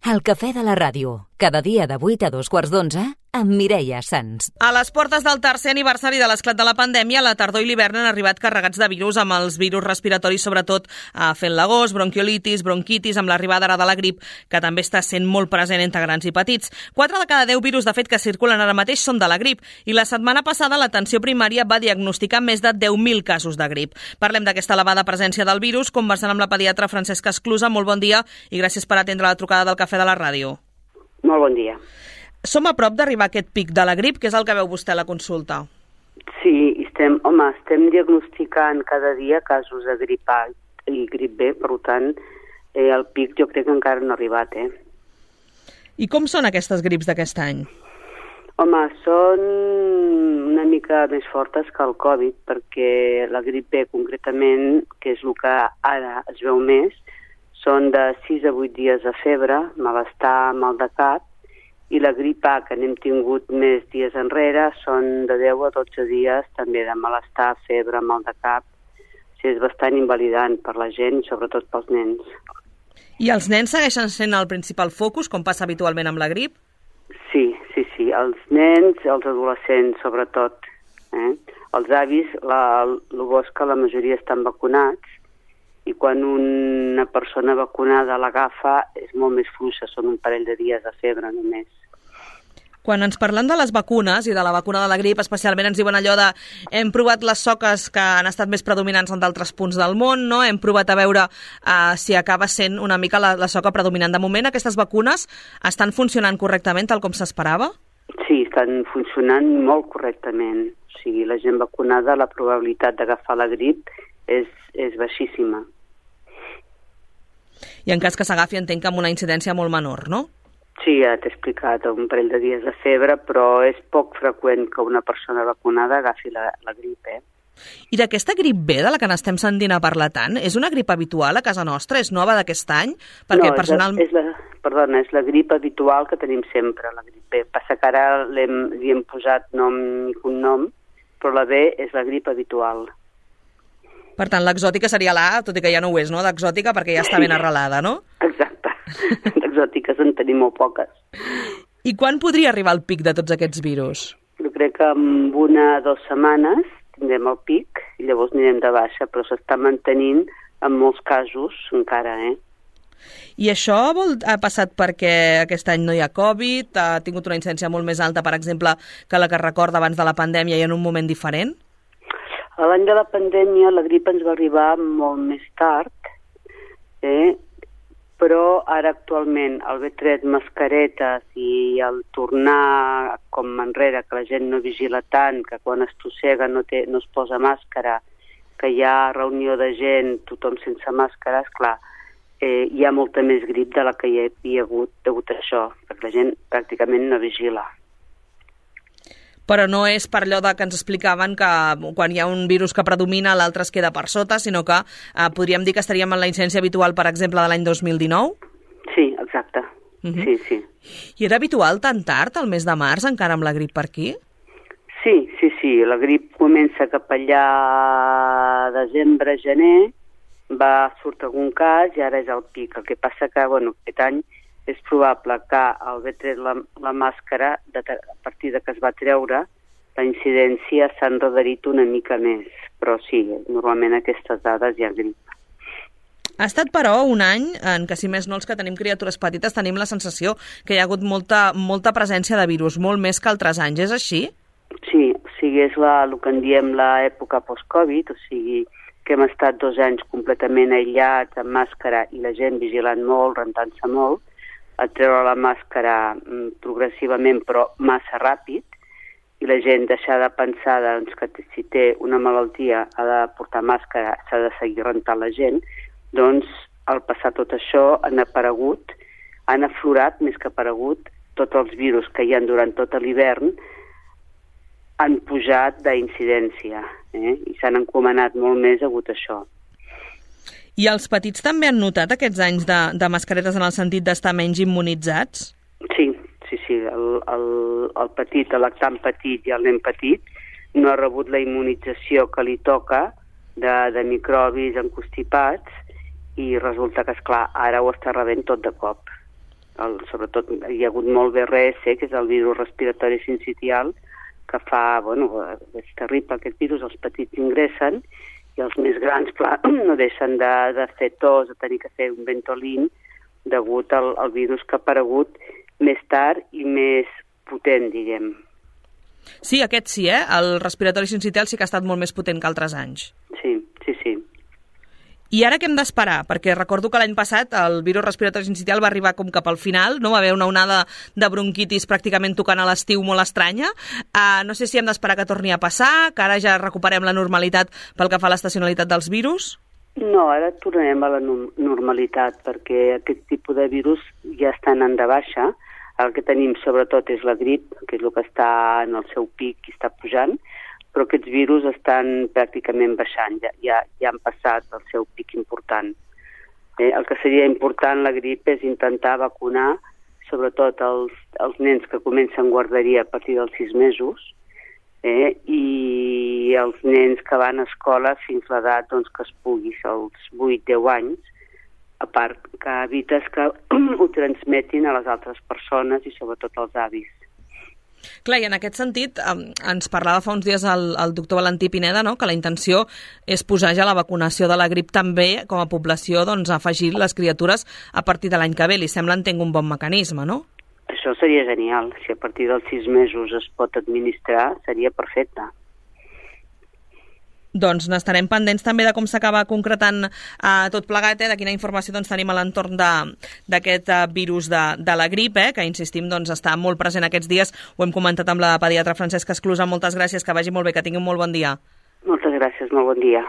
El cafè de la ràdio, cada dia de 8 a 2:15, amb Mireia Sans. A les portes del tercer aniversari de l'esclat de la pandèmia, la tardor i l'hivern han arribat carregats de virus, amb els virus respiratoris sobretot fent l'agost, bronquiolitis, bronquitis, amb l'arribada ara de la grip, que també està sent molt present entre grans i petits. 4 de cada 10 virus, de fet, que circulen ara mateix són de la grip, i la setmana passada l'atenció primària va diagnosticar més de 10.000 casos de grip. Parlem d'aquesta elevada presència del virus, conversant amb la pediatra Francesca Esclusa. Molt bon dia i gràcies per atendre la trucada del Cafè de la Ràdio. Molt bon dia. Som a prop d'arribar a aquest pic de la grip, que és el que veu vostè a la consulta. Sí, estem diagnosticant cada dia casos de grip A i grip B, per tant, el pic jo crec que encara no ha arribat, I com són aquestes grips d'aquest any? Home, són una mica més fortes que el Covid, perquè la grip B concretament, que és el que ara es veu més, són de 6 a 8 dies de febre, malestar, mal de cap, i la grip A, que n'hem tingut més dies enrere, són de 10 a 12 dies també de malestar, febre, mal de cap. O sigui, és bastant invalidant per la gent i sobretot pels nens. I els nens segueixen sent el principal focus, com passa habitualment amb la grip? Sí. Els nens, els adolescents sobretot. Els avis, el bo és que la majoria estan vacunats, i quan una persona vacunada l'agafa és molt més fluixa, són un parell de dies de febre només. Quan ens parlen de les vacunes i de la vacuna de la grip, especialment ens diuen allò de hem provat les soques que han estat més predominants en d'altres punts del món, no? Hem provat a veure si acaba sent una mica la soca predominant. De moment, aquestes vacunes estan funcionant correctament tal com s'esperava? Sí, estan funcionant molt correctament. O sigui, la gent vacunada, la probabilitat d'agafar la grip és baixíssima. I en cas que s'agafi, entenc que amb una incidència molt menor, no? Sí, ja t'he explicat, un parell de dies de febre, però és poc freqüent que una persona vacunada agafi la grip, I d'aquesta grip B, de la que n'estem sentint a parlar tant, és una grip habitual a casa nostra? És nova d'aquest any? Perquè és la grip habitual que tenim sempre, la grip B. Passa que ara li hem posat nom i cognom, però la B és la grip habitual. Per tant, l'exòtica seria l'A, tot i que ja no ho és, no?, d'exòtica, perquè ja està ben arrelada, no? Exacte. D'exòtiques en tenim molt poques. I quan podria arribar el pic de tots aquests virus? Jo crec que en 1 o 2 setmanes tindrem el pic i llavors anirem de baixa, però s'està mantenint en molts casos encara, I això ha passat perquè aquest any no hi ha Covid, ha tingut una incidència molt més alta, per exemple, que la que recorda abans de la pandèmia i en un moment diferent? A l'any de la pandèmia la grip ens va arribar molt més tard, però ara actualment el haver tret mascaretes i el tornar com enrere, que la gent no vigila tant, que quan es tossega no es posa màscara, que hi ha reunió de gent, tothom sense màscara, esclar, hi ha molta més grip de la que hi havia hagut degut a això, perquè la gent pràcticament no vigila. Però no és per allò que ens explicaven que quan hi ha un virus que predomina l'altre es queda per sota, sinó que podríem dir que estaríem en la incidència habitual, per exemple, de l'any 2019? Sí, exacte. Sí. I era habitual tan tard, al mes de març, encara amb la grip per aquí? Sí. La grip comença cap allà desembre, gener, va sortir algun cas i ara és el pic. El que passa que, aquest any és probable que al haver tret la màscara, a partir de que es va treure, la incidència s'ha endarrerit una mica més. Però sí, normalment a aquestes dades hi ha grip. Ha estat, però, un any en què, si més no, els que tenim criatures petites tenim la sensació que hi ha hagut molta presència de virus, molt més que altres anys. És així? Sí, o sigui, és el que en diem l'època post-Covid, o sigui, que hem estat 2 anys completament aïllats, amb màscara, i la gent vigilant molt, rentant-se molt, a treure la màscara progressivament però massa ràpid, i la gent deixar de pensar que si té una malaltia ha de portar màscara, s'ha de seguir rentant la gent, doncs al passar tot això han aflorat més que aparegut tots els virus que hi ha durant tot l'hivern, han pujat d'incidència i s'han encomanat molt més hagut això. I els petits també han notat aquests anys de mascaretes en el sentit d'estar menys immunitzats? Sí. El petit, el lactant petit i el nen petit no ha rebut la immunització que li toca de microbis encostipats i resulta que, esclar, ara ho està rebent tot de cop. sobretot hi ha hagut molt BRS, que és el virus respiratori sincitial, que fa, és terrible aquest virus, els petits ingressen, i els més grans, clar, no deixen de fer tos, de tenir que fer un Ventolin, degut al virus que ha aparegut més tard i més potent, diguem. Sí, aquest sí, el respiratori sincitial sí que ha estat molt més potent que altres anys. Sí. I ara què hem d'esperar? Perquè recordo que l'any passat el virus respiratori sincitial va arribar com cap al final, no? Va haver una onada de bronquitis pràcticament tocant a l'estiu molt estranya. No sé si hem d'esperar que torni a passar, que ara ja recuperem la normalitat pel que fa a l'estacionalitat dels virus? No, ara tornarem a la normalitat, perquè aquest tipus de virus ja estan en de baixa. El que tenim sobretot és la grip, que és el que està en el seu pic i està pujant, però aquests virus estan pràcticament baixant, ja han passat el seu pic important. El que seria important, la grip, és intentar vacunar sobretot els nens que comencen guarderia a partir dels 6 mesos i els nens que van a escola fins l'edat que es pugui, els 8-10 anys, a part que evites que ho transmetin a les altres persones i sobretot als avis. Clar, i en aquest sentit ens parlava fa uns dies el doctor Valentí Pineda, no?, que la intenció és posar ja la vacunació de la grip també com a població, afegir les criatures a partir de l'any que ve. Li sembla entenc un bon mecanisme, no? Això seria genial. Si a partir dels 6 mesos es pot administrar, seria perfecte. Doncs n'estarem pendents també de com s'acaba concretant tot plegat, de quina informació tenim a l'entorn d'aquest virus de la grip, que insistim està molt present aquests dies. Ho hem comentat amb la pediatra Francesca Esclusa. Moltes gràcies, que vagi molt bé, que tingui un molt bon dia. Moltes gràcies, molt bon dia.